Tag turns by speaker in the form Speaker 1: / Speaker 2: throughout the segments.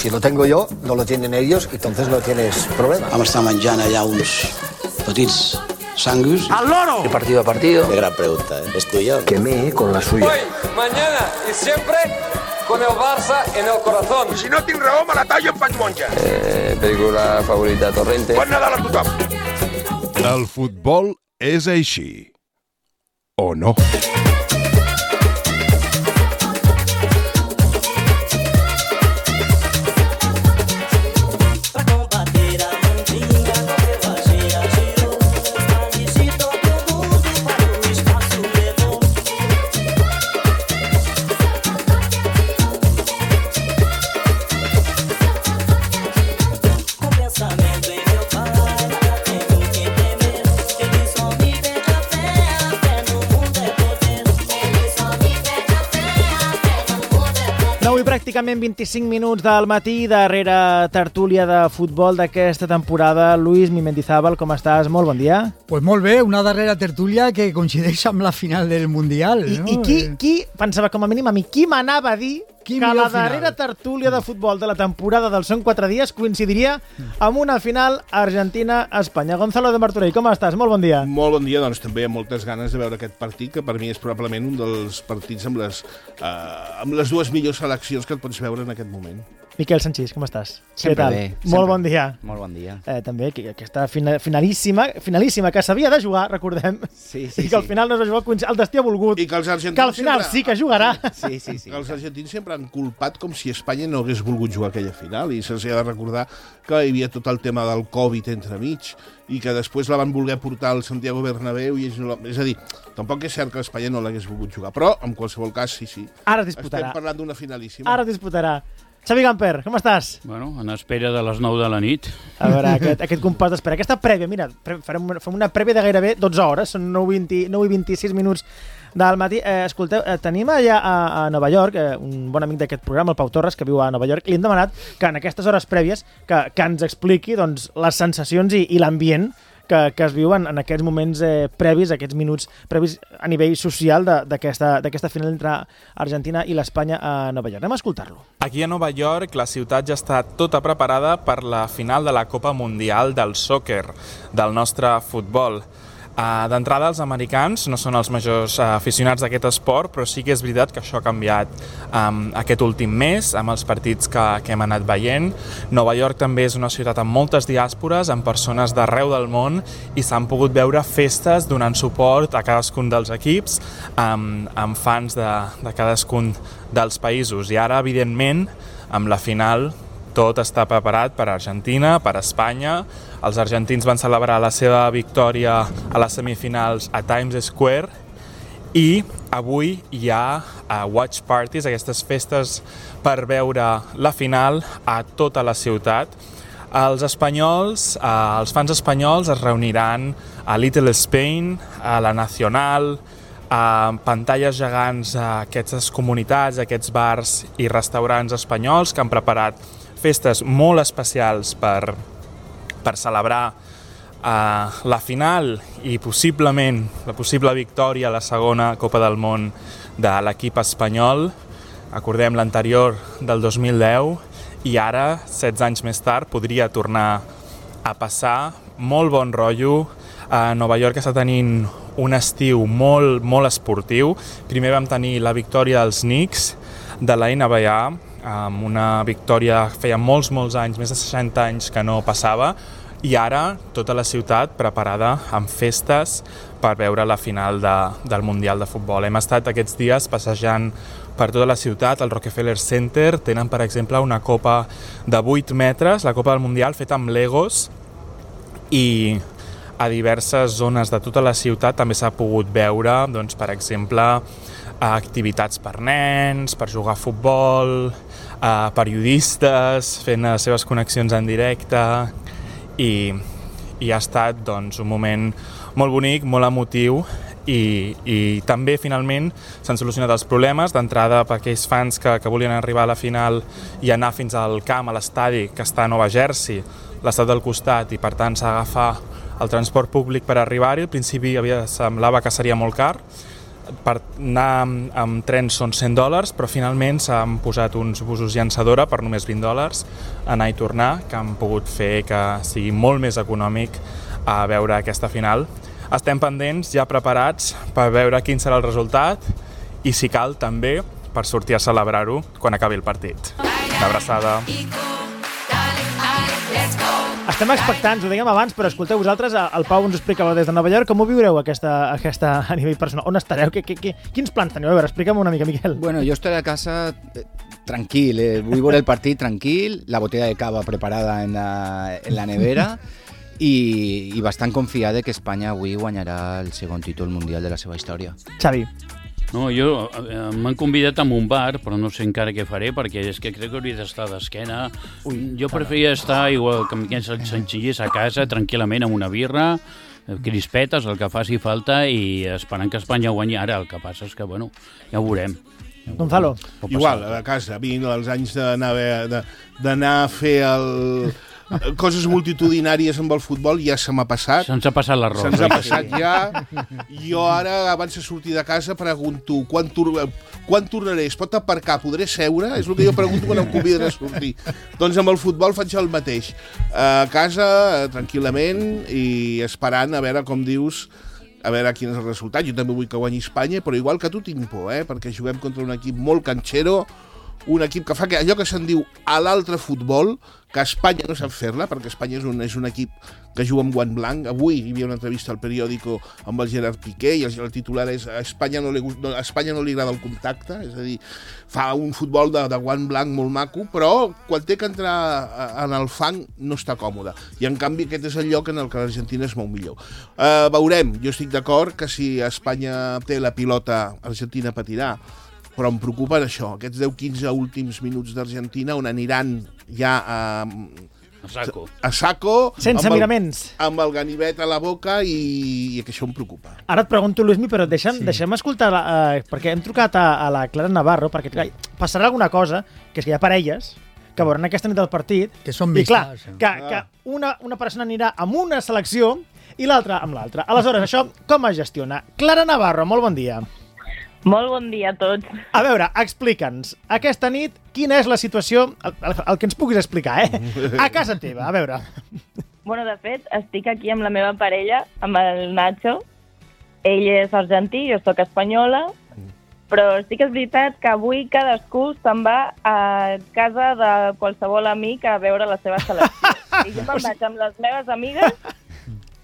Speaker 1: si lo tengo yo, no lo tienen ellos, entonces no tienes problema.
Speaker 2: Vam estar menjant allà uns petits sangus.
Speaker 1: ¡Al loro! De partido a partido.
Speaker 2: Qué gran pregunta, ¿eh? ¿Es tuya?
Speaker 1: Quemé con la suya.
Speaker 3: Hoy, mañana y siempre con el Barça en el corazón.
Speaker 4: Si no tinc raó, me la tallo en faig monja.
Speaker 3: Película favorita, Torrente.
Speaker 4: Bon Nadal a tothom.
Speaker 5: El futbol és així. O no?
Speaker 6: Pràcticament 25 minuts del matí, darrere tertúlia de futbol d'aquesta temporada. Luis Mendizábal, com estàs? Molt bon dia.
Speaker 7: Pues molt bé, una darrera tertúlia que coincideix amb la final del Mundial. No?
Speaker 6: I qui pensava, com a mínim a mi, qui m'anava a dir que la darrera tertúlia de futbol de la temporada del Són 4 dies coincidiria amb una final Argentina-Espanya. Gonzalo de Martorell, com estàs? Molt bon dia.
Speaker 5: Molt bon dia, doncs també amb moltes ganes de veure aquest partit, que per mi és probablement un dels partits amb les dues millors seleccions que et pots veure en aquest moment.
Speaker 6: Miquel Sanchís, com estàs?
Speaker 8: Sempre
Speaker 6: Què tal?
Speaker 8: bé.
Speaker 6: Molt bon dia.
Speaker 8: Molt bon dia.
Speaker 6: També aquesta finalíssima que s'havia de jugar, recordem,
Speaker 8: sí,
Speaker 6: i que al final no es va jugar, el destí ha volgut,
Speaker 5: i que els argentins
Speaker 6: que al final sí que jugarà.
Speaker 8: Sí.
Speaker 5: Que els argentins sempre han culpat com si Espanya no hagués volgut jugar aquella final, i se'ls ha de recordar que hi havia tot el tema del Covid entremig i que després la van voler portar al Santiago Bernabéu i és a dir, tampoc és cert que Espanya no l'hagués volgut jugar, però en qualsevol cas sí.
Speaker 6: Ara es disputarà.
Speaker 5: Estem parlant d'una finalíssima.
Speaker 6: Ara es disputarà. Xavi Gamper, com estàs?
Speaker 9: Bueno, en espera de les 9 de la nit.
Speaker 6: A veure, aquest compàs d'espera. Aquesta prèvia, mira, fem una prèvia de gairebé 12 hores, són 9 i 26 minuts del matí. Escolteu, tenim allà a Nova York un bon amic d'aquest programa, el Pau Torres, que viu a Nova York, i li hem demanat que en aquestes hores prèvies que ens expliqui doncs, les sensacions i l'ambient que es viuen en aquests moments previs, aquests minuts previs a nivell social d'aquesta final entre Argentina i l'Espanya a Nova York. Anem a escoltar-lo.
Speaker 10: Aquí a Nova York la ciutat ja està tota preparada per la final de la Copa Mundial del Soccer, del nostre futbol. D'entrada, els americans no són els majors aficionats d'aquest esport, però sí que és veritat que això ha canviat aquest últim mes, amb els partits que hem anat veient. Nova York també és una ciutat amb moltes diàspores, amb persones d'arreu del món, i s'han pogut veure festes donant suport a cadascun dels equips, amb fans de cadascun dels països. I ara, evidentment, amb la final, tot està preparat per Argentina, per Espanya. Els argentins van celebrar la seva victòria a les semifinals a Times Square i avui hi ha watch parties, aquestes festes per veure la final a tota la ciutat. Els fans espanyols es reuniran a Little Spain, a la Nacional, a pantalles gegants a aquestes comunitats, a aquests bars i restaurants espanyols que han preparat festes molt especials per celebrar la final i possiblement la possible victòria a la segona Copa del Món de l'equip espanyol. Recordem l'anterior del 2010 i ara, 16 anys més tard, podria tornar a passar. Molt bon rotllo. Nova York està tenint un estiu molt, molt esportiu. Primer vam tenir la victòria dels Knicks de la NBA, amb una victòria que feia molts anys, més de 60 anys que no passava, i ara tota la ciutat preparada amb festes per veure la final del Mundial de Futbol. Hem estat aquests dies passejant per tota la ciutat, al Rockefeller Center. Tenen, per exemple, una copa de 8 metres, la Copa del Mundial, feta amb Legos, i a diverses zones de tota la ciutat també s'ha pogut veure, doncs, per exemple, activitats per nens, per jugar a futbol, periodistes fent les seves connexions en directe, i ha estat doncs, un moment molt bonic, molt emotiu, i també finalment s'han solucionat els problemes d'entrada per aquells fans que volien arribar a la final i anar fins al camp, a l'estadi que està a Nova Jersey, l'estat del costat, i per tant s'ha d'agafar el transport públic per arribar-hi. Al principi semblava que seria molt car. per anar amb trens són $100, però finalment s'han posat uns busos llançadora per només $20 anar i tornar, que han pogut fer que sigui molt més econòmic a veure aquesta final. Estem pendents, ja preparats, per veure quin serà el resultat i, si cal, també per sortir a celebrar-ho quan acabi el partit. Una abraçada.
Speaker 6: Estem expectants, ho dèiem abans, però escolteu, vosaltres, el Pau ens ho explicava des de Nova York, com ho viureu aquesta a nivell personal? On estareu? Quins plans teniu? A veure, explica'm una mica, Miquel.
Speaker 8: Bueno, yo estoy a casa tranquil, voy por el partido tranquil, la botella de cava preparada en la nevera i bastant confiada que Espanya avui guanyarà el segon títol mundial de la seva història.
Speaker 6: Xavi.
Speaker 9: No, jo m'han convidat a un bar, però no sé encara què faré, perquè és que crec que hauria d'estar d'esquena. Jo preferia estar igual que aquests senzillers a casa, tranquil·lament, amb una birra, crispetes, el que faci falta, i esperant que Espanya guanyi. Ara el que passa és que, bueno, ja ho veurem.
Speaker 6: Gonzalo.
Speaker 5: Igual, a casa. A mi els anys d'anar a fer coses multitudinàries amb el futbol ja se m'ha passat.
Speaker 9: Se'ns ha passat l'arròs.
Speaker 5: Se'ns ha passat ja. Jo ara, abans de sortir de casa, pregunto quan tornaré? Es pot aparcar? Podré seure? És el que jo pregunto quan em conviden a sortir. Doncs amb el futbol faig el mateix. A casa, tranquil·lament, i esperant a veure, com dius, a veure quin és el resultat. Jo també vull que guanyi Espanya, però igual que tu tinc por, perquè juguem contra un equip molt canxero, un equip que fa allò que se'n diu a l'altre futbol, que Espanya no sap fer-la, perquè Espanya és un equip que juga amb guant blanc. Avui hi havia una entrevista al periòdico amb el Gerard Piqué i el titular és a Espanya no li agrada el contacte, és a dir, fa un futbol de guant blanc molt maco, però quan té que entrar en el fang no està còmode. I en canvi aquest és el lloc en el que l'Argentina es mou millor. Veurem, jo estic d'acord que si Espanya té la pilota, Argentina patirà, però em preocupa això, aquests 10-15 últims minuts d'Argentina on aniran ja a saco
Speaker 6: sense miraments,
Speaker 5: amb el ganivet a la boca, i que això em preocupa.
Speaker 6: Ara et pregunto, Luismi, però deixem escoltar, perquè hem trucat a la Clara Navarro, perquè clar, passarà alguna cosa, que és que hi ha parelles que veuran aquesta nit del partit,
Speaker 7: que són
Speaker 6: vistes, i clar, que una persona anirà amb una selecció i l'altra amb l'altra. Aleshores, això com es gestiona? Clara Navarro, molt bon dia.
Speaker 11: Molt bon dia a tots.
Speaker 6: A veure, explica'ns, aquesta nit, quina és la situació, el que ens puguis explicar, a casa teva, a veure.
Speaker 11: Bueno, de fet, estic aquí amb la meva parella, amb el Nacho. Ell és argentí, jo soc espanyola, però sí que és veritat que avui cadascú se'n va a casa de qualsevol amic a veure la seva selecció. I jo me'n vaig amb les meves amigues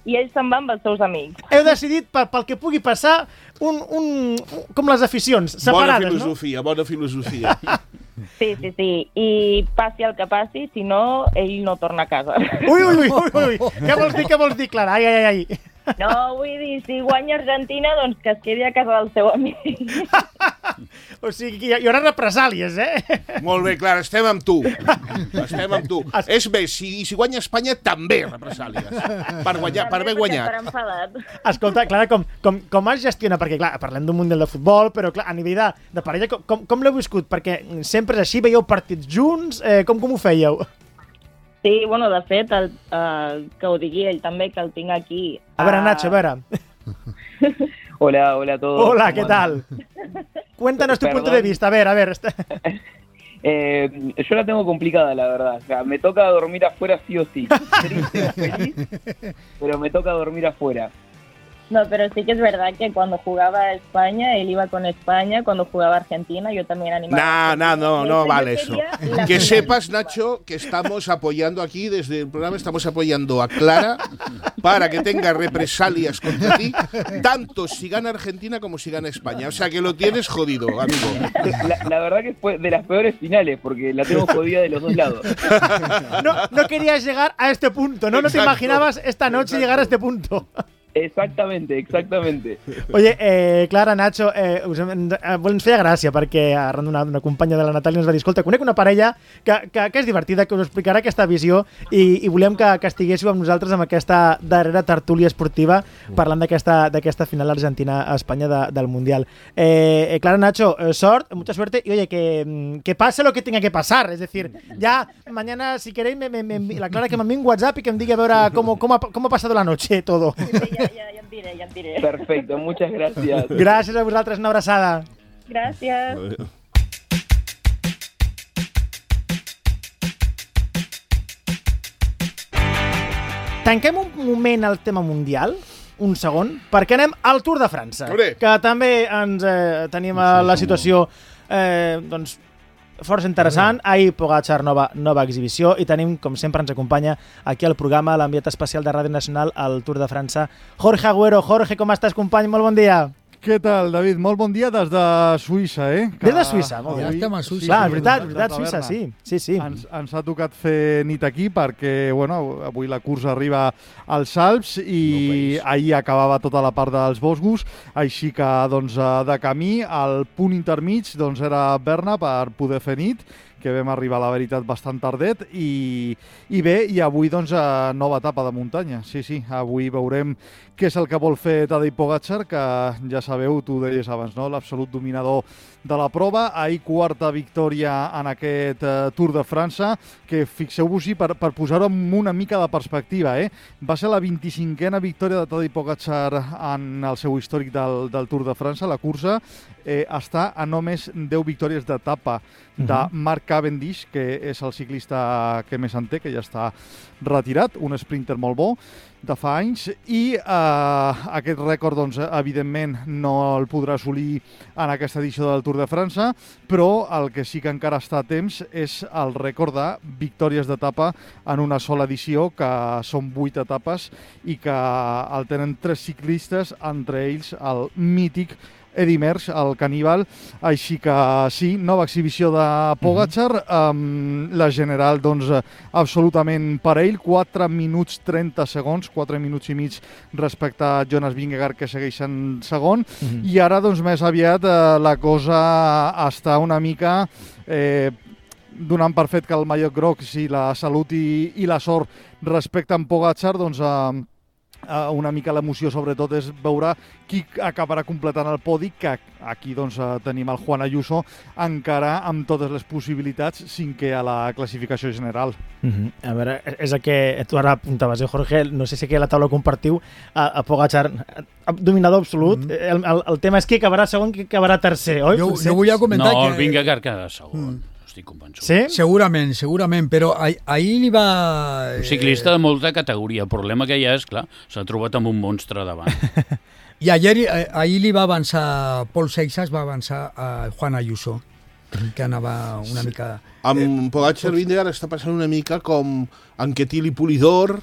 Speaker 11: i ell se'n va amb els seus amics.
Speaker 6: Heu decidit, pel que pugui passar, com les aficions, separades, no?
Speaker 5: Bona filosofia.
Speaker 11: Sí. I passi el que passi, si no, ell no torna a casa.
Speaker 6: Ui. Què vols dir, Clara? Ai.
Speaker 11: No, vull dir, si guanya Argentina, doncs que es quedi a casa del seu amic.
Speaker 6: O sigui, hi haurà represàlies,
Speaker 5: Molt bé, Clara, estem amb tu. És més, si guanya Espanya, també represàlies. Per haver guanyat.
Speaker 11: Per enfadat.
Speaker 6: Escolta, Clara, com es gestiona? Perquè, clar, parlem d'un mundial de futbol, però, clar, a nivell de parella, com l'heu viscut? Perquè sempre és així, veieu partits junts? Com ho fèieu?
Speaker 11: Sí, bueno, de fet, que ho digui ell també, que el tinc aquí.
Speaker 6: A veure, Nacho, a veure.
Speaker 12: Hola a todos.
Speaker 6: Hola, ¿qué tal? Cuéntanos tu punto de vista, a ver.
Speaker 12: Yo la tengo complicada, la verdad. O sea, me toca dormir afuera sí o sí. Triste o feliz, pero me toca dormir afuera.
Speaker 11: No, pero sí que es verdad que cuando jugaba España, él iba con España, cuando jugaba Argentina, yo también animaba.
Speaker 5: No vale eso. Que sepas, Nacho, que estamos apoyando aquí, desde el programa estamos apoyando a Clara para que tenga represalias contra ti, tanto si gana Argentina como si gana España. O sea, que lo tienes jodido, amigo.
Speaker 12: La verdad que fue de las peores finales, porque la tengo jodida de los dos lados.
Speaker 6: No querías llegar a este punto, ¿no? No te imaginabas esta noche llegar a este punto.
Speaker 12: Exactamente.
Speaker 6: Oye, Clara, Nacho, ens feia gràcia perquè arran d'una companya de la Natàlia ens va dir, escolta, conec una parella que és divertida, que us explicarà aquesta visió i volem que estiguéssiu amb nosaltres amb aquesta darrera tertúlia esportiva parlant d'aquesta final Argentina-Espanya del Mundial. Clara, Nacho, mucha suerte y oye, que pase lo que tenga que pasar, es decir, ya mañana si queréis la Clara que me envíe un WhatsApp y que me diga a veure cómo ha pasado la noche todo.
Speaker 11: Ja Ja em diré.
Speaker 12: Perfecto, muchas gracias.
Speaker 6: Gràcies a vosaltres, una abraçada.
Speaker 11: Gràcies.
Speaker 6: Tanquem un moment el tema mundial, un segon, perquè anem al Tour de França, que també ens tenim la situació doncs, força interessant. Ahir Pogačar nova exhibició i tenim, com sempre, ens acompanya aquí al programa l'enviat especial de Ràdio Nacional al Tour de França, Jorge Agüero. Jorge, com estàs, company? Molt bon dia.
Speaker 13: Què tal, David? Molt bon dia des de Suïssa,
Speaker 6: Des de Suïssa, molt bé.
Speaker 7: Ja estem a Suïssa.
Speaker 6: Clar, veritat, Suïssa, sí.
Speaker 13: Ens ha tocat fer nit aquí perquè, avui la cursa arriba als Alps i ahir acabava tota la part dels Vosgos, així que, de camí, el punt intermig era Berna per poder fer nit, que vam arribar, la veritat, bastant tardet, i bé, i avui, nova etapa de muntanya. Sí, avui veurem què és el que vol fer Tadej Pogačar, que ja sabeu, tu deies abans, no?, l'absolut dominador de la prova. Ahir quarta victòria en aquest Tour de França, que fixeu-vos-hi per posar-ho amb una mica de perspectiva, va ser la 25a victòria de Tadej Pogačar en el seu històric del Tour de França. La cursa està a només 10 victòries d'etapa de Mark Cavendish, que és el ciclista que més en té, que ja està retirat, un sprinter molt bo de fa anys, i aquest rècord, evidentment, no el podrà assolir en aquesta edició del Tour de França, però el que sí que encara està a temps és el rècord de victòries d'etapa en una sola edició, que són 8 etapes i que el tenen 3 ciclistes, entre ells el mític Eddy Merckx, el caníbal. Així que sí, nova exhibició de Pogačar, la general absolutament per ell, 4 minuts 30 segons, 4 minuts i mig respecte a Jonas Vingegaard, que segueix en segon, i ara més aviat la cosa està una mica donant per fet que el mallot groc, si la salut i la sort respecten Pogačar, una mica l'emoció sobretot és veure qui acabarà completant el podi, que aquí tenim el Juan Ayuso encara amb totes les possibilitats, cinquè a la classificació general.
Speaker 6: A veure, és el que tu ara apuntaves, Jorge, no sé si aquí a la taula compartiu a Pogačar, dominador absolut. El tema és qui acabarà segon, qui acabarà tercer, oi?
Speaker 7: Jo volia comentar que...
Speaker 9: No, el Vingegaard queda segon. Estic convençut.
Speaker 6: Sí?
Speaker 7: Segurament, però ahir li va...
Speaker 9: Un ciclista de molta categoria. El problema que hi ha és, clar, s'ha trobat amb un monstre davant.
Speaker 7: I ahir li va avançar, Paul Seixas va avançar a Juan Ayuso, que anava una mica...
Speaker 5: Amb Pogačar Vingegaard està passant una mica com Anquetil i Polidor,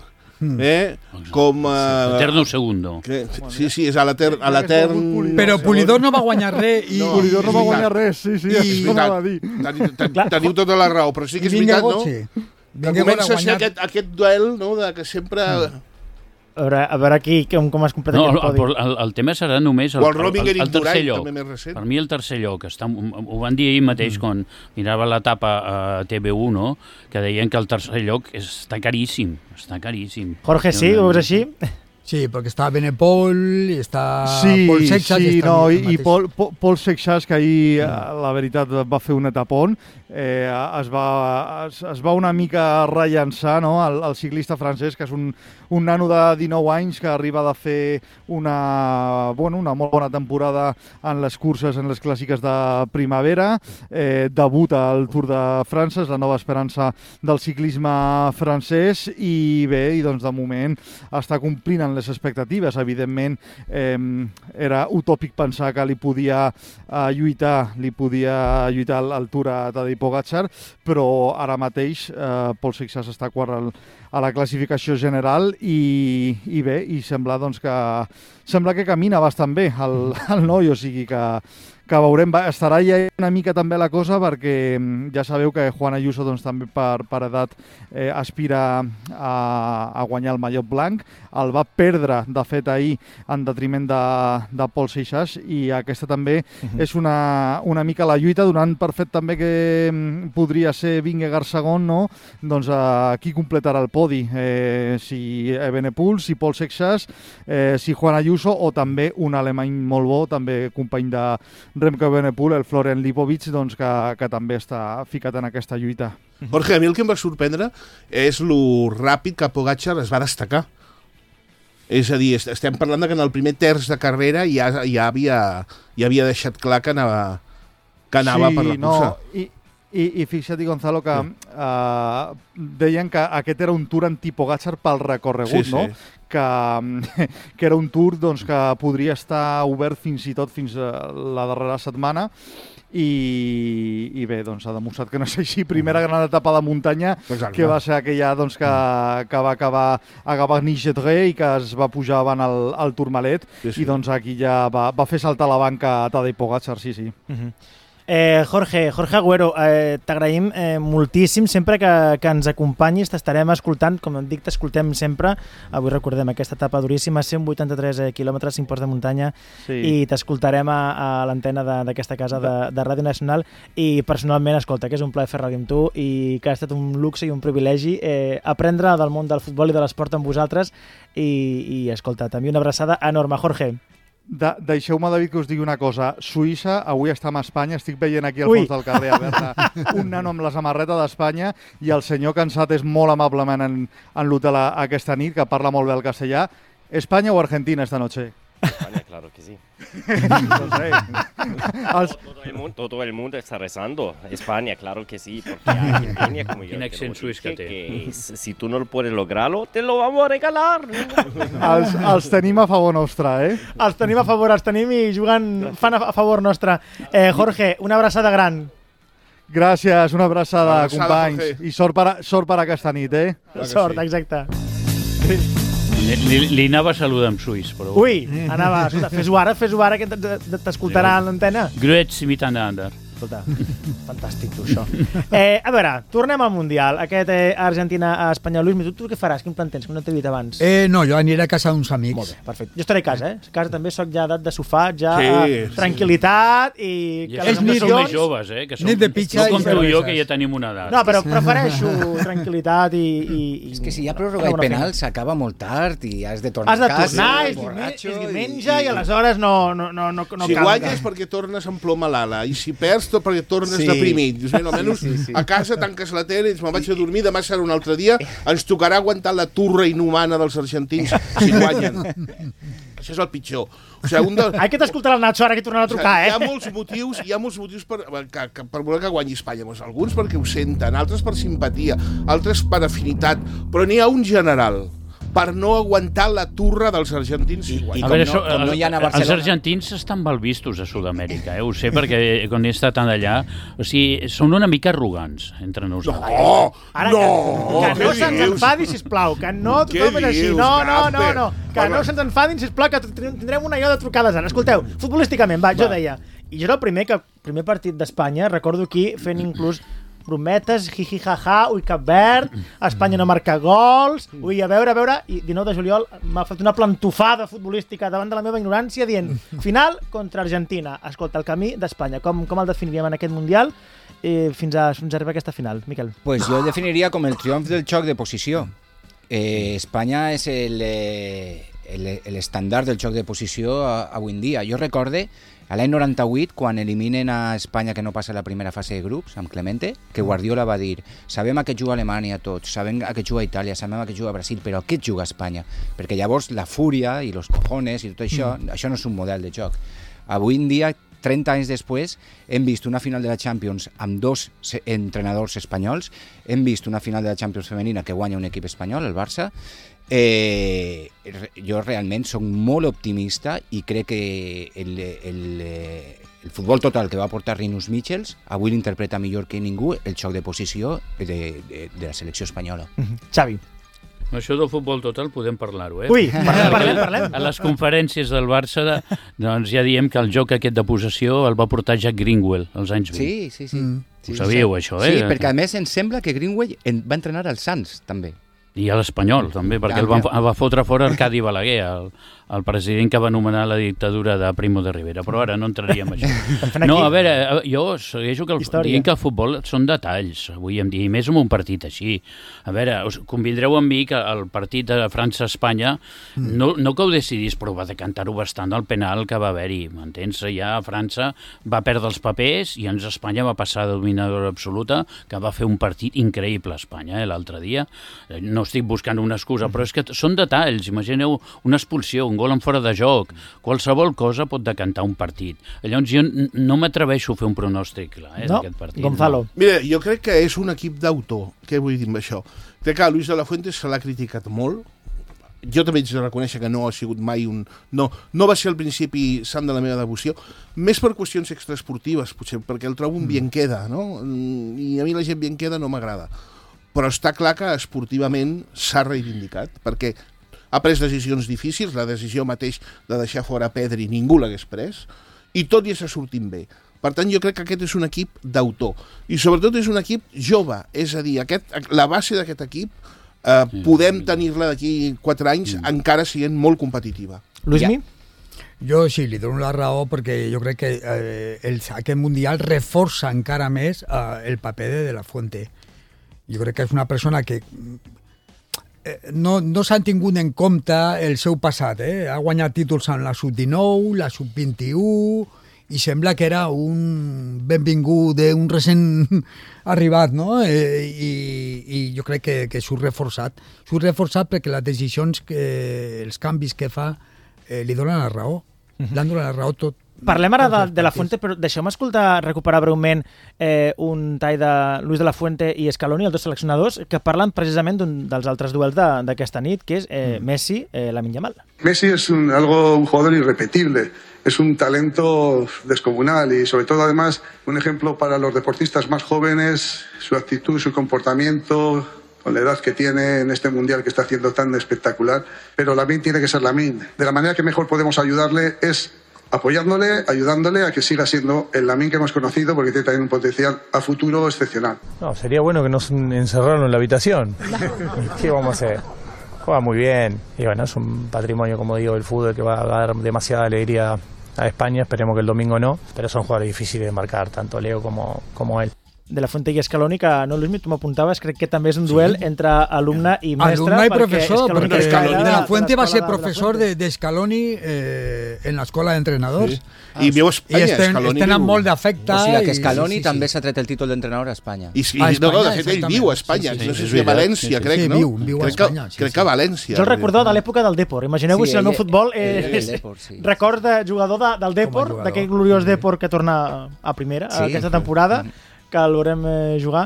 Speaker 5: com...
Speaker 9: Eterno segundo.
Speaker 5: Sí, és a l'etern...
Speaker 7: Però Polidor no va guanyar res.
Speaker 13: Polidor no va guanyar res, sí, això anava a dir.
Speaker 5: Teniu tota la raó, però sí que és veritat, no? Que comença a ser aquest duel, no?, que sempre...
Speaker 6: A veure aquí com es completa aquest podi.
Speaker 9: El tema serà només el tercer lloc. Per mi el tercer lloc. Ho van dir ahir mateix quan mirava l'etapa a TV1, no?, que deien que el tercer lloc està caríssim. Està caríssim.
Speaker 6: Jorge, sí? Ho veus així?
Speaker 7: Sí, perquè està Benepol, està Paul Seixas...
Speaker 13: Sí, i Paul Seixas, que ahir, la veritat, va fer un etapón, es va una mica rellançar, no?, el ciclista francès, que és un nano de 19 anys que arriba de fer una molt bona temporada en les curses, en les clàssiques de primavera, debuta al Tour de França, és la nova esperança del ciclisme francès, i bé, de moment està complint en les expectatives. Evidentment, era utòpic pensar que li podia lluitar al Tour a Tadej Pogačar, però ara mateix Paul Seixas està quart a la classificació general i bé, i sembla que camina bastant bé el noi, o sigui que veurem, estarà ja una mica també la cosa, perquè ja sabeu que Juan Ayuso també per edat aspira a guanyar el mallot blanc, el va perdre de fet ahir en detriment de Paul Seixas, i aquesta també és una mica la lluita, donant per fet també que podria ser Vingegaard segon, no? Doncs qui completarà el podi, si Evenepoel, si Paul Seixas, si Juan Ayuso, o també un alemany molt bo, també company de Remco Evenepoel, el Florian Lipovic, que també està ficat en aquesta lluita.
Speaker 5: Jorge, a mi el que em va sorprendre és lo ràpid que Pogačar es va destacar. És a dir, estem parlant de que en el primer terç de carrera ja havia deixat clar que anava per la cursa.
Speaker 13: I fixa't, Gonzalo, que deien que aquest era un Tour anti-Pogačar pel recorregut, no? Que era un Tour que podria estar obert fins i tot fins a la darrera setmana. I bé, ha demostrat que no és així. Primera gran etapa de muntanya, que va ser aquella que va acabar a Gavagny-Gedré i que es va pujar avant al Tourmalet, i aquí ja va fer saltar la banca a Tadej Pogačar, sí.
Speaker 6: Jorge Agüero, t'agraïm moltíssim sempre que ens acompanyis, t'estarem escoltant, com em dic, t'escoltem sempre. Avui recordem aquesta etapa duríssima, 183 quilòmetres, 5 ports de muntanya, i t'escoltarem a l'antena d'aquesta casa de Ràdio Nacional, i personalment, escolta, que és un plaer fer ràdio amb tu i que ha estat un luxe i un privilegi aprendre del món del futbol i de l'esport amb vosaltres, i escolta, també una abraçada enorme, Jorge.
Speaker 13: Deixeu-me, David, que us digui una cosa. Suïssa avui està amb Espanya. Estic veient aquí al fons del carrer a veure un nano amb la samarreta d'Espanya i el senyor cansat és molt amablement en l'hotel aquesta nit, que parla molt bé el castellà. ¿España o Argentina esta noche?
Speaker 14: España, claro que sí. Todo el mundo está rezando. España, claro que sí, porque Argentina, como yo que si tú no puedes lograrlo, te lo vamos a regalar.
Speaker 13: Els tenim a favor nostre, eh?
Speaker 6: Els tenim a favor, els tenim i fan a favor nostre. Jorge, una abraçada gran.
Speaker 13: Gràcies, una abraçada, companys. I sort per aquesta nit, eh?
Speaker 6: Sort, exacte.
Speaker 9: Li anava a saludar en suís, però...
Speaker 6: Ui, anava, fes-ho ara, que t'escoltarà a l'antena.
Speaker 9: Grüezi miteinander.
Speaker 6: Escolta, fantàstic, tu, això. A veure, tornem al Mundial. Aquest Argentina-Espanya. Lluís, tu què faràs? Quin plan tens? Que no t'he dit abans.
Speaker 7: No, jo aniré a casa d'uns amics.
Speaker 6: Molt bé, perfecte. Jo estaré a casa, A casa també soc ja edat de sofà, tranquil·litat i...
Speaker 9: És nit més joves, que som...
Speaker 7: Nit de pitxa
Speaker 9: no com tu i jo, que ja tenim una edat.
Speaker 6: No, però prefereixo tranquil·litat i...
Speaker 8: És que si hi ha pròrroga i penal s'acaba molt tard i has de tornar a casa.
Speaker 6: Has de tornar, és diumenge i aleshores no cal.
Speaker 5: Si guanyes perquè tornes amb ploma l'ala i si perds tot perquè tornes deprimit. Dius, almenys a casa tanques la tele i dius, me'n vaig a dormir, demà serà un altre dia, ens tocarà aguantar la turra inhumana dels argentins si guanyen. Això és el pitjor. O sigui,
Speaker 6: Ai, que t'escoltarà el Nacho ara que tornarà a trucar,
Speaker 5: Hi ha molts motius per voler que guanyi Espanya. Alguns perquè ho senten, altres per simpatia, altres per afinitat, però n'hi ha un general per no aguantar la turra dels argentins.
Speaker 9: I com no hi ha a Barcelona... Els argentins estan mal vistos a Sud-amèrica, ho sé, perquè quan he estat allà, o sigui, són una mica arrogants entre nosaltres.
Speaker 6: Que no se'ns enfadi, sisplau, que no tothom és així. No. Que no se'ns enfadin, sisplau, que tindrem una ió de trucades ara. Escolteu, futbolísticament, jo deia, i jo era el primer partit d'Espanya, recordo aquí fent inclús brometes, jiji, jaja, ui, Cap Verd, Espanya no marca gols, ui, a veure, i 19 de juliol m'ha fet una plantofada futbolística davant de la meva ignorància dient, final contra Argentina. Escolta, el camí d'Espanya, com el definiríem en aquest Mundial fins a arribar a aquesta final, Miquel?
Speaker 8: Pues jo el definiria com el triomf del xoc de posició. Espanya és l'estàndard del xoc de posició avui en dia. Jo recorde a l'any 98, quan eliminen a Espanya que no passa la primera fase de grups, amb Clemente, que Guardiola va dir, sabem a què juga Alemanya tots, sabem a què juga Itàlia, sabem a què juga Brasil, però a què juga Espanya? Perquè llavors la fúria i los cojones i tot això, això no és un model de joc. Avui en dia, 30 anys després, hem vist una final de la Champions amb 2 entrenadors espanyols, hem vist una final de la Champions femenina que guanya un equip espanyol, el Barça. Jo realment soc molt optimista i crec que el futbol total que va portar Rinus Michels avui l'interpreta millor que ningú el xoc de posició de la selecció espanyola.
Speaker 6: Xavi.
Speaker 9: Això del futbol total podem parlar-ho,
Speaker 6: Ui, parlem.
Speaker 9: A les conferències del Barça doncs ja diem que el joc aquest de possessió el va portar Jack Greenwell als anys 20.
Speaker 8: Sí.
Speaker 9: Ho sabíeu, això,
Speaker 8: Sí, perquè a més em sembla que Greenwell va entrenar al Sants, també.
Speaker 9: I a l'Espanyol, també, perquè el va fotre fora Arcadi Balaguer, el president que va anomenar la dictadura de Primo de Rivera, però ara no entraríem en això. No, a veure, jo segueixo dient que el futbol són detalls, avui en dia, i més en un partit així. A veure, us convindreu amb mi que el partit de França-Espanya no que ho decidís, però va decantar-ho bastant al penal que va haver-hi, m'entens? Ja França va perdre els papers i ens Espanya va passar de dominadora absoluta, que va fer un partit increïble a Espanya l'altre dia. No estic buscant una excusa, però és que són detalls. Imagineu una expulsió, un gol en fora de joc, qualsevol cosa pot decantar un partit. Llavors jo no m'atreveixo a fer un pronòstic clar d'aquest partit.
Speaker 6: Gonzalo.
Speaker 5: Mira, jo crec que és un equip d'autor. Què vull dir amb això? Crec que Luis de la Fuente se l'ha criticat molt. Jo també haig de reconèixer que no ha sigut mai un... No va ser al principi sant de la meva devoció, més per qüestions extraesportives, potser, perquè el trobo un bien queda, no? I a mi la gent bien queda no m'agrada. Però està clar que esportivament s'ha reivindicat, perquè ha pres decisions difícils, la decisió mateix de deixar fora Pedri ningú l'hagués pres, i tot i està sortint bé. Per tant, jo crec que aquest és un equip d'autor. I sobretot és un equip jove, és a dir, la base d'aquest equip podem tenir-la d'aquí 4 anys encara sent molt competitiva.
Speaker 6: Luismi?
Speaker 7: Jo sí, li dono la raó perquè jo crec que aquest Mundial reforça encara més el paper de la Fuente. Jo crec que és una persona que no s'han tingut en compte el seu passat. Ha guanyat títols en la sub-19, la sub-21, i sembla que era un benvingut d'un recent arribat, no? I jo crec que surt reforçat. Surt reforçat perquè les decisions, els canvis que fa, li donen la raó. L'han donat la raó tot.
Speaker 6: Parlem ara de la Fuente, però deixeu-me recuperar breument un tall de Luis de la Fuente i Scaloni, els dos seleccionadors, que parlen precisament d'un dels altres duels d'aquesta nit, que és Messi, Lamine Yamal.
Speaker 15: Messi es un jugador irrepetible, es un talento descomunal y sobre todo además un ejemplo para los deportistas más jóvenes, su actitud, su comportamiento, con la edad que tiene en este mundial que está haciendo tan espectacular, pero Lamine tiene que ser Lamine. De la manera que mejor podemos ayudarle es apoyándole, ayudándole a que siga siendo el Lamine que hemos conocido, porque tiene también un potencial a futuro excepcional.
Speaker 16: No, sería bueno que nos encerraran en la habitación. ¿Qué vamos a hacer? Juega muy bien y bueno, es un patrimonio, como digo, del fútbol que va a dar demasiada alegría a España. Esperemos que el domingo no, pero son jugadores difíciles de marcar, tanto Leo como él.
Speaker 6: De la Fuente i Scaloni, que no, Luismi, tu m'apuntaves, crec que també és un duel entre alumne i mestre.
Speaker 7: Alumne i professor, perquè de la Fuente va ser professor de Scaloni en l'escola d'entrenadors.
Speaker 5: I viu a Espanya,
Speaker 7: Scaloni. Tenen molt d'afecte.
Speaker 8: O sigui que Scaloni també s'ha tret el títol d'entrenador a Espanya.
Speaker 5: De fet, ell viu a Espanya. No sé si a València, crec, no?
Speaker 7: Viu a Espanya.
Speaker 5: Crec que a València.
Speaker 6: Jo el recordava de l'època del Depor. Imagineu-vos si el meu futbol record de jugador del Depor, d'aquell gloriós Depor que torna a primera aquesta temporada, que l'haurem jugar.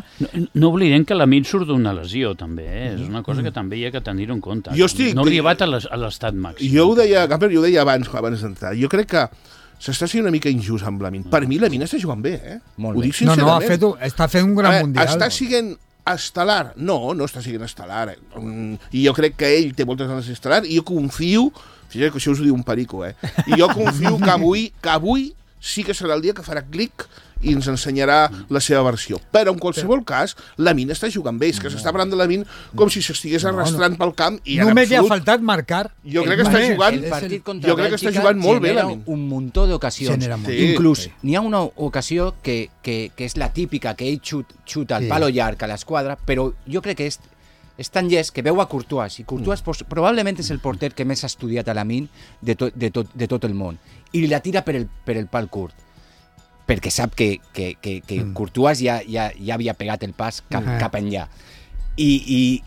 Speaker 9: No oblidem que Lamine surt d'una lesió, també. És una cosa que també hi ha que tenir-ho en compte. No ha arribat a l'estat màxim.
Speaker 5: Jo ho deia abans d'entrar. Jo crec que s'està sent una mica injust amb Lamine. Per mi Lamine està jugant bé,
Speaker 7: Molt
Speaker 5: ho
Speaker 7: bé.
Speaker 5: dic sincerament.
Speaker 7: Està fent un gran mundial.
Speaker 5: Està sent estel·lar? No està sent estel·lar. I jo crec que ell té moltes ganes d'estel·lar i jo confio, fixeu que això us ho diu un perico, i jo confio que avui sí que serà el dia que farà clic i ens ensenyarà la seva versió. Però en qualsevol cas, Lamine està jugant bé. És que s'està parlant de Lamine com si s'estigués arrastrant pel camp i en
Speaker 7: només
Speaker 5: absolut...
Speaker 7: li ha faltat marcar.
Speaker 5: Jo crec que està jugant...
Speaker 8: El partit contra Bèlgica
Speaker 5: molt bé, Lamine.
Speaker 8: Un muntó d'ocasions. Inclús n'hi ha una ocasió que és la típica, que ell xuta al palo llarg a l'esquadra, però jo crec que és tan llest que veu a Courtois, i Courtois probablement és el porter que més ha estudiat a Lamine de tot el món, i la tira per el pal curt, perquè sap que Courtois ja havia pegat el pas cap enllà. I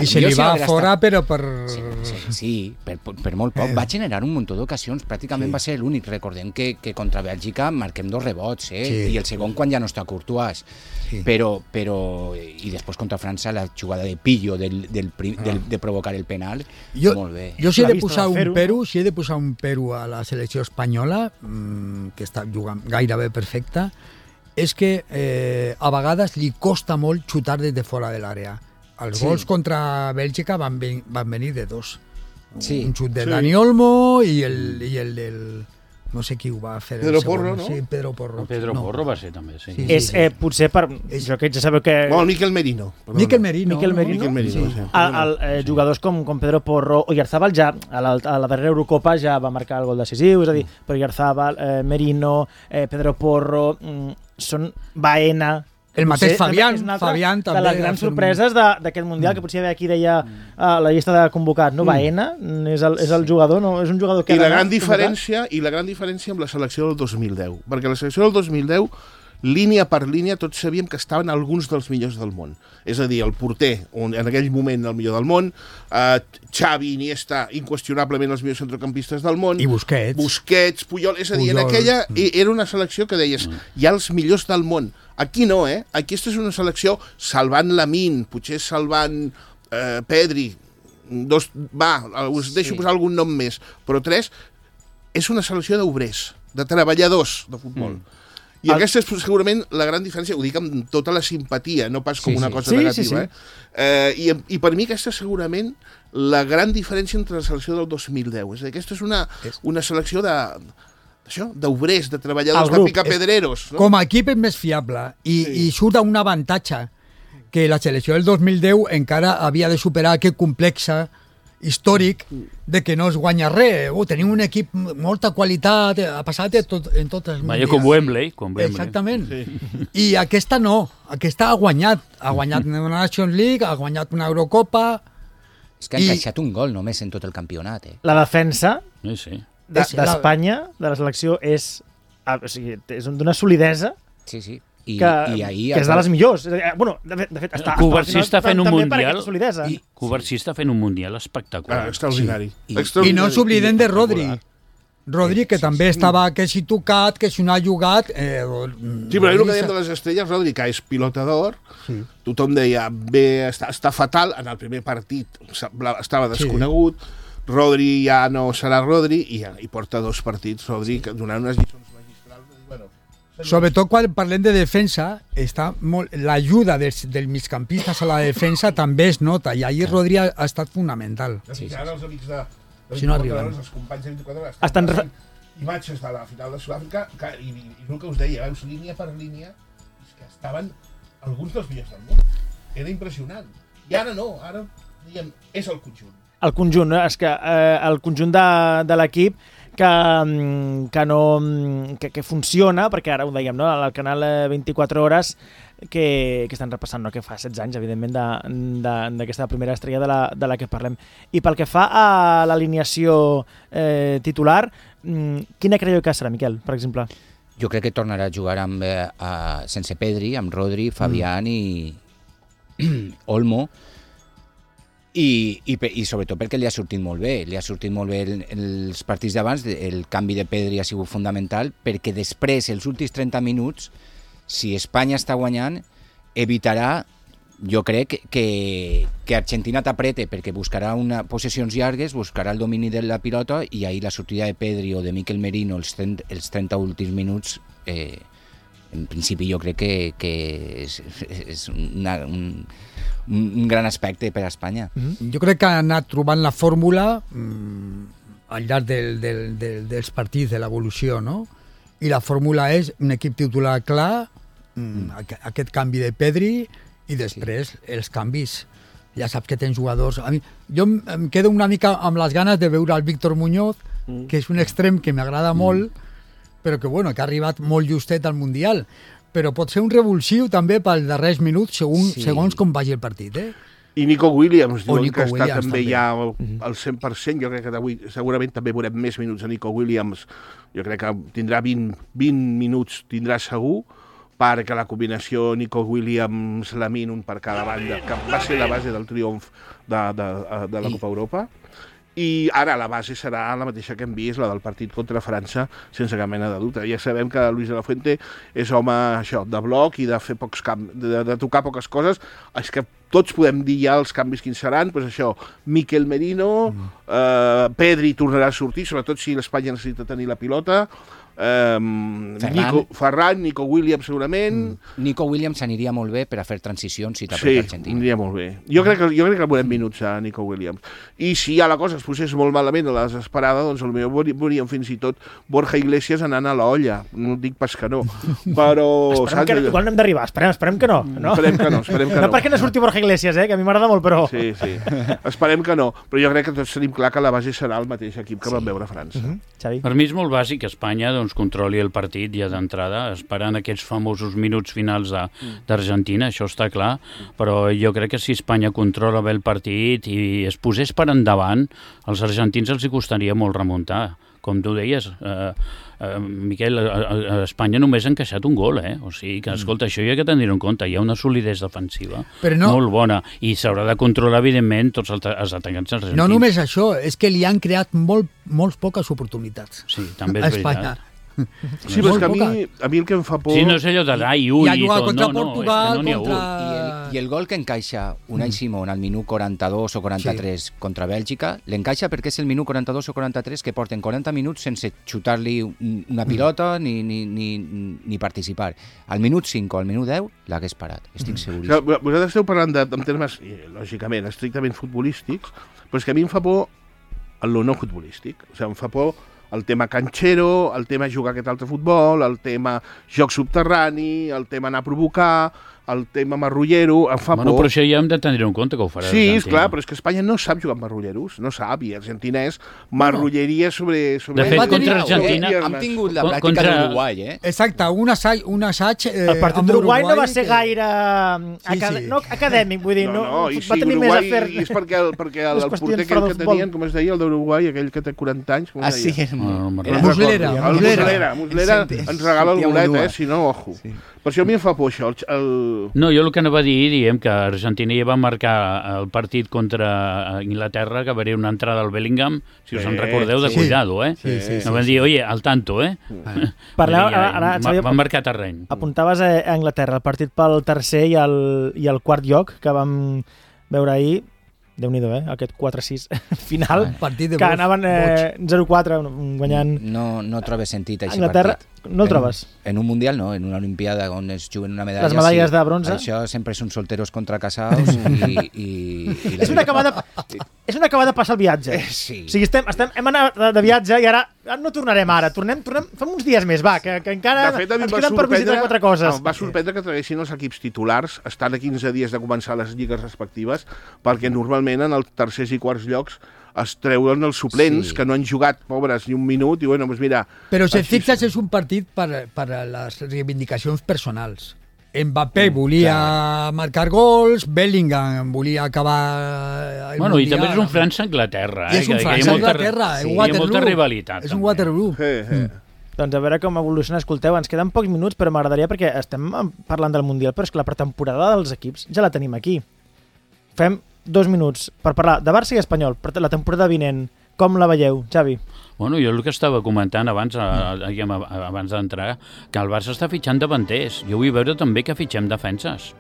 Speaker 7: se li va fora, però per...
Speaker 8: Sí, per molt poc. Va generar un muntó d'ocasions, pràcticament va ser l'únic. Recordem que contra Bèlgica marquem 2 rebots, i el segon quan ja no està Courtois. Però i després contra França la jugada de pillo de provocar el penal, molt bé.
Speaker 7: Jo si he de posar un pero a la selecció espanyola, que està jugant gairebé perfecta, és que a vegades li costa molt xutar des de fora de l'àrea. Els gols contra Bèlgica van venir de 2. Un xut de Dani Olmo i el del... No sé qui ho va fer.
Speaker 5: Pedro Porro, no?
Speaker 7: Sí, Pedro Porro.
Speaker 9: Pedro Porro va ser també, sí.
Speaker 6: És potser per... Jo que ja sabeu que...
Speaker 5: Miquel Merino.
Speaker 7: Miquel Merino.
Speaker 6: Jugadors com Pedro Porro o Oyarzabal ja a la darrera Eurocopa ja va marcar el gol decisiu, és a dir, per Oyarzabal, Merino, Pedro Porro, són Baena...
Speaker 7: El mateix Fabián també.
Speaker 6: De les grans sorpreses d'aquest Mundial, que potser aquí deia la llista de convocats, no? Baena és el jugador, no? És un jugador que...
Speaker 5: I la gran diferència amb la selecció del 2010, perquè la selecció del 2010 línia per línia tots sabíem que estaven alguns dels millors del món. És a dir, el porter, en aquell moment el millor del món, Xavi, Iniesta, inqüestionablement els millors centrocampistes del món.
Speaker 7: I Busquets,
Speaker 5: Puyol, és a dir, en aquella era una selecció que deies, hi ha els millors del món. Aquí no, Aquesta és una selecció salvant Lamine, potser salvant Pedri, us deixo posar algun nom més, però 3, és una selecció d'obrers, de treballadors de futbol. I aquesta és segurament la gran diferència, ho dic amb tota la simpatia, no pas com una cosa negativa. I per mi aquesta és segurament la gran diferència entre la selecció del 2010. És a dir, aquesta és una selecció d'obrers, de treballadors, de picapedreros.
Speaker 7: Com a equip és més fiable i surt un avantatge que la selecció del 2010 encara havia de superar aquest complex històric de que no es guanya res. Tenim un equip amb molta qualitat, ha passat en totes les
Speaker 9: mundials. Com Wembley.
Speaker 7: Exactament. I aquesta no, aquesta ha guanyat una Nations League, ha guanyat una Eurocopa.
Speaker 8: És que ha encaixat un gol només en tot el campionat.
Speaker 6: La defensa d'Espanya, de la selecció, és d'una solidesa.
Speaker 8: Sí.
Speaker 6: Que és de les millors. Bueno, de fet,
Speaker 9: Covarsí està fent un mundial. Covarsí està fent un mundial espectacular.
Speaker 5: Extraordinari.
Speaker 7: I no ens oblidem de Rodri. Rodri, que també estava que si tocat, que si no ha jugat...
Speaker 5: Sí, però el que dèiem de les estrelles, Rodri, que és pilota d'or, tothom deia, està fatal, en el primer partit estava desconegut, Rodri ja no serà Rodri, i porta 2 partits, Rodri, donant unes lliçons magistrals.
Speaker 7: Sobretot quan parlem de defensa, l'ajuda dels migcampistes a la defensa també es nota, i ahir Rodri ha estat fonamental.
Speaker 5: Ara els amics de
Speaker 7: si no arriben.
Speaker 5: Els companys de 24 hores estan imatges de la final de Sud-àfrica i el que us deia, veus línia per línia, és que estaven alguns dels millors del món. Era impressionant. I ara no, ara diguem, és el conjunt.
Speaker 6: El conjunt, és que el conjunt de l'equip que funciona, perquè ara ho dèiem, no? Al canal 24 hores que estan repassant, no? Que fa 16 anys, evidentment, d'aquesta primera estrella de la que parlem. I pel que fa a l'alineació titular, quina creieu que serà, Miquel, per exemple?
Speaker 8: Jo crec que tornarà a jugar sense Pedri, amb Rodri, Fabián i Olmo, i sobretot perquè li ha sortit molt bé. Li ha sortit molt bé els partits d'abans, el canvi de Pedri ha sigut fundamental, perquè després, els últims 30 minuts, si Espanya està guanyant, evitarà, jo crec, que Argentina t'aprete, perquè buscarà possessions llargues, buscarà el domini de la pilota, i ahir la sortida de Pedri o de Mikel Merino els 30 últims minuts, en principi jo crec que és un gran aspecte per a Espanya.
Speaker 7: Jo crec que ha anat trobant la fórmula al llarg dels partits de l'evolució, no? I la fórmula és un equip titular clar, aquest canvi de Pedri, i després els canvis. Ja saps que tens jugadors... Jo em quedo una mica amb les ganes de veure el Víctor Muñoz, que és un extrem que m'agrada molt, però que ha arribat molt justet al Mundial. Però pot ser un revulsiu també pels darrers minuts, segons com vagi el partit.
Speaker 5: I Nico Williams, diuen que està també ja al 100%. Jo crec que d'avui segurament també veurem més minuts a Nico Williams. Jo crec que tindrà 20 minuts, tindrà segur, perquè la combinació Nico Williams-Lamine, un per cada banda, que va ser la base del triomf de la Copa Europa. I ara la base serà la mateixa que hem vist, la del partit contra França, sense cap mena de dubte. Ja sabem que Luis de la Fuente és home de bloc i de fer pocs de tocar poques coses. És que tots podem dir ja els canvis quins seran, doncs això, Mikel Merino, Pedri tornarà a sortir, sobretot si l'Espanya necessita tenir la pilota, Ferran, Nico Williams segurament.
Speaker 8: Nico Williams aniria molt bé per a fer transicions si t'apreta Argentina.
Speaker 5: Sí, aniria molt bé. Jo crec que veurem minuts a Nico Williams. I si ja la cosa es posés molt malament a la desesperada, doncs potser veuríem fins i tot Borja Iglesias anant a la olla. No dic pas que no, però...
Speaker 6: Igual no hem d'arribar, esperem que no.
Speaker 5: Esperem que no.
Speaker 6: No perquè no surti Borja Iglesias, que a mi m'agrada molt, però...
Speaker 5: Sí. Esperem que no. Però jo crec que tots tenim clar que la base serà el mateix equip que vam veure a França.
Speaker 9: Per mi és molt bàsic que Espanya controli el partit ja d'entrada, esperant aquests famosos minuts finals d'Argentina, això està clar, però jo crec que si Espanya controla bé el partit i es posés per endavant, als argentins els hi costaria molt remuntar. com tu deies, Miquel, a Espanya només ha encaixat un gol, O sigui que, escolta, això hi ha que tenir en compte. Hi ha una solidesa defensiva molt bona i s'haurà de controlar, evidentment, tots els atacants argentins.
Speaker 7: No només això, és que li han creat molt poques oportunitats.
Speaker 9: Sí, també és veritat.
Speaker 5: Sí, però és que a mi el que em fa por...
Speaker 9: Sí, no és allò de i ui i tot.
Speaker 7: Contra Portugal,
Speaker 8: I el gol que encaixa Unai Simón al minut 42 o 43 contra Bèlgica, l'encaixa perquè és el minut 42 o 43 que porten 40 minuts sense xutar-li una pilota ni participar. Al minut 5 o al minut 10 l'hagués parat, estic seguríssim.
Speaker 5: Vosaltres esteu parlant en termes, lògicament, estrictament futbolístics, però és que a mi em fa por el no futbolístic. O sigui, em fa por el tema canxero, el tema jugar aquest altre futbol, el tema joc subterrani, el tema anar a provocar, el tema marrullero, em fa por.
Speaker 9: Però això ja hem de tenir en compte que ho farà
Speaker 5: Sí,
Speaker 9: Argentina.
Speaker 5: esclar, però és que Espanya no sap jugar amb marrulleros, no sap, i Argentina és marrulleria sobre...
Speaker 9: De fet, contra Argentina...
Speaker 8: Hem tingut la pràctica d'Uruguai,
Speaker 7: Exacte, un assaig
Speaker 6: el partit d'Uruguai no va ser gaire no acadèmic, vull dir, va tenir més afer...
Speaker 5: I és perquè el porter aquell que tenien, com es deia, el d'Uruguai, aquell que té 40 anys, com es deia?
Speaker 7: Muslera.
Speaker 5: Muslera ens regala el bolet, si no, ojo. Per això a mi em fa por això.
Speaker 9: No, jo el que anava a dir, diem que Argentina ja va marcar el partit contra Inglaterra, que va haver una entrada al Bellingham, si us en recordeu, de cuidado, No van dir, oye, al tanto, Van marcar terreny.
Speaker 6: Apuntaves a Anglaterra, el partit pel tercer i el quart lloc, que vam veure ahir. Déu-n'hi-do, aquest 4-6 final, que anaven 0-4 guanyant...
Speaker 8: No trobes sentit aquest
Speaker 6: Anglaterra,
Speaker 8: partit.
Speaker 6: No el trobes?
Speaker 8: En un Mundial no, en una Olimpiada on es juguen una medalla...
Speaker 6: Les medalles de bronze.
Speaker 8: Això sempre són solteros contra casados i
Speaker 6: és una acabada passar el viatge.
Speaker 8: Sí.
Speaker 6: O sigui, hem anat de viatge i ara no tornarem ara. Tornem fem uns dies més, va, que encara ens queden per visitar 4 coses.
Speaker 5: Em va sorprendre que traguessin els equips titulars, estan a 15 dies de començar les lligues respectives, perquè normalment en els tercers i quarts llocs es treuen els suplents, que no han jugat, pobres, ni un minut, i bueno, doncs mira...
Speaker 7: Però si et fixes, és un partit per a les reivindicacions personals. Mbappé volia marcar gols, Bellingham volia acabar el
Speaker 9: Mundial. I també és un França-Anglaterra.
Speaker 7: És un França-Anglaterra,
Speaker 9: hi ha molta rivalitat.
Speaker 7: És un Waterloo.
Speaker 6: Doncs a veure com evoluciona. Escolteu, ens queden pocs minuts, però m'agradaria, perquè estem parlant del Mundial, però és que la pretemporada dels equips ja la tenim aquí. Fem 2 minuts per parlar de Barça i Espanyol, per la temporada vinent. Com la veieu, Xavi?
Speaker 9: Bueno, jo el que estava comentant abans d'entrar, que el Barça està fitxant davanters. Jo vull veure també que fitxem defenses,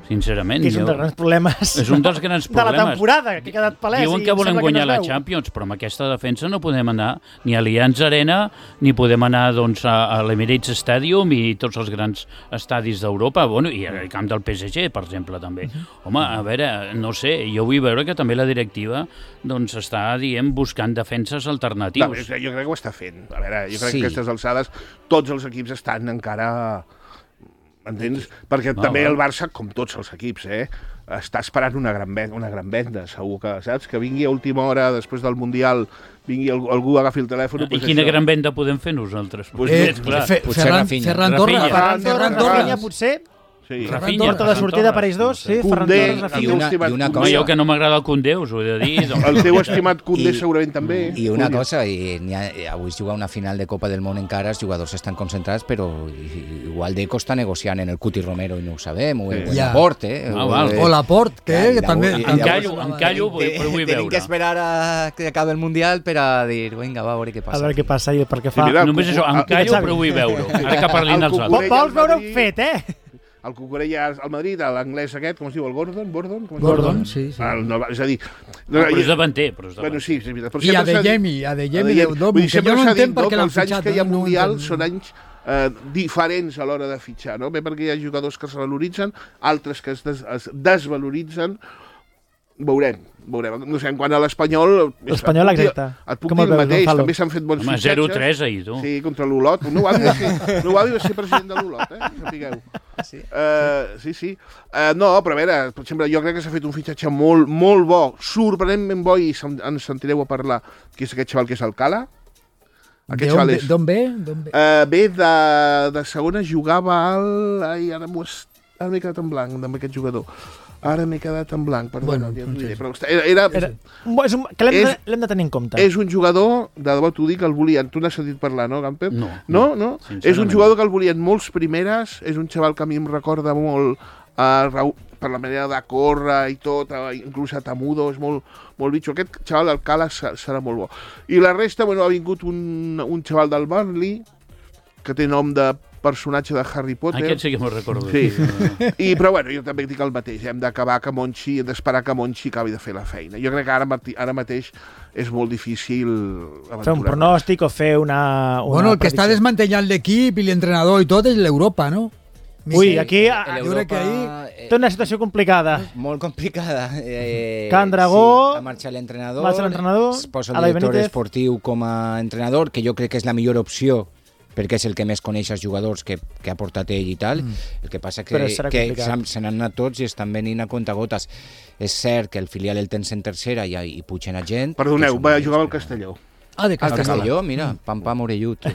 Speaker 9: sincerament.
Speaker 6: Que és un dels grans problemes de la temporada, que ha quedat palès.
Speaker 9: Diuen que volem guanyar la Champions, però amb aquesta defensa no podem anar ni a l'Allianz Arena, ni podem anar a l'Emirates Stadium i tots els grans estadis d'Europa, i al camp del PSG, per exemple, també. Home, a veure, no sé, jo vull veure que també la directiva està, buscant defenses alternatius.
Speaker 5: Jo crec que ho està fent. A veure, jo crec que a aquestes alçades tots els equips estan encara... Entens? Perquè també el Barça, com tots els equips, està esperant una gran venda, segur que, saps? Que vingui a última hora, després del Mundial, vingui algú, agafi el telèfon...
Speaker 9: I quina gran venda podem fer nosaltres?
Speaker 6: Ferran Torres, potser...
Speaker 9: Rafinha,
Speaker 6: porta de sortida per ells dos, Ferran Torres,
Speaker 9: Rafinha. I una cosa... Jo que no m'agrada el Koundé, us ho he de dir.
Speaker 5: El teu estimat Koundé segurament també.
Speaker 8: I una cosa, avui es juga una final de Copa del Món encara, els jugadors estan concentrats, però igual Deco està negociant en el Cuti Romero i no ho sabem, o el Laporte.
Speaker 7: O Laporte, que també...
Speaker 9: Em callo, però vull veure.
Speaker 8: Tenim que esperar a que acabi el Mundial per a dir, vinga, va, a veure què passa.
Speaker 6: A veure què passa i per què fa...
Speaker 9: Només això, em callo, però vull veure. Ara que parlin els altres.
Speaker 6: Vols veure-ho fet,
Speaker 5: El Cucurella al Madrid, l'anglès aquest, com es diu, el Gordon?
Speaker 7: Gordon, sí.
Speaker 5: És a dir...
Speaker 9: Però és davanter.
Speaker 5: Bueno, sí, és veritat.
Speaker 7: I Adeyemi, que jo no entenc per què l'han fitxat.
Speaker 5: Els anys que hi ha Mundial són anys diferents a l'hora de fitxar, no? Bé perquè hi ha jugadors que es valoritzen, altres que es desvaloritzen. Veurem. No sé, quant a l'Espanyol...
Speaker 6: L'Espanyol, exacte.
Speaker 5: Et puc dir el mateix, també s'han fet bons fitxatges.
Speaker 9: 0-3 ahir, tu.
Speaker 5: Sí, contra l'Olot. No va ser president de l'Olot, sapigueu. Sí. No, però a veure, per exemple, jo crec que s'ha fet un fitxatge molt, molt bo, sorprenentment bo, i ens sentireu a parlar, que és aquest xaval que és Alcala.
Speaker 7: D'on ve?
Speaker 5: Ve de segona, jugava al... Ara m'ho m'he quedat en blanc amb aquest jugador. Ara m'he quedat en blanc, perdona.
Speaker 6: Bueno, que l'hem de tenir en compte.
Speaker 5: És un jugador, de debò t'ho dic, el volien. Tu n'has sentit parlar, no, Gamper?
Speaker 9: No.
Speaker 5: És un jugador que el volien molts primeres, és un xaval que a mi em recorda molt per la manera de córrer i tot, inclús a Tamudo, és molt bitxo. Aquest xaval del Cales serà molt bo. I la resta, ha vingut un xaval del Burnley, que té nom de personatge de Harry Potter.
Speaker 9: Aquest sí que m'ho recordo.
Speaker 5: Sí. Però jo també dic el mateix. Hem d'esperar que Monchi acabi de fer la feina. Jo crec que ara mateix és molt difícil aventurar.
Speaker 6: Fer un pronòstic o fer una
Speaker 7: Bueno, el que està desmantellant l'equip i l'entrenador i tot és l'Europa, no?
Speaker 6: Ui, aquí
Speaker 8: té
Speaker 6: una situació complicada.
Speaker 8: Molt complicada.
Speaker 6: Can Dragó,
Speaker 8: ha marxat l'entrenador,
Speaker 6: es
Speaker 8: posa el director esportiu com a entrenador, que jo crec que és la millor opció, perquè és el que més coneix els jugadors que ha portat ell i tal. El que passa que se n'han anat tots i estan venint a comptagotes. És cert que el filial el tens en tercera i pugen a gent.
Speaker 5: Perdoneu, va jugar al Castelló.
Speaker 8: De Castelló, mira, pam, orellut.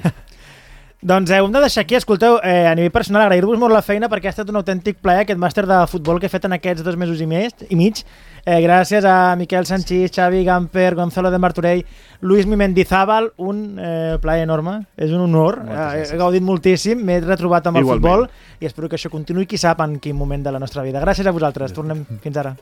Speaker 6: Doncs ho hem de deixar aquí. Escolteu, a nivell personal, agrair-vos molt la feina perquè ha estat un autèntic plaer aquest màster de futbol que he fet en aquests 2 mesos i mig. Gràcies a Miquel Sanchís, Xavi Gamper, Gonzalo de Martorell, Luis Mendizábal, un plaer enorme, és un honor. He gaudit moltíssim, m'he retrobat amb el futbol i espero que això continuï, qui sap en quin moment de la nostra vida. Gràcies a vosaltres, tornem fins ara.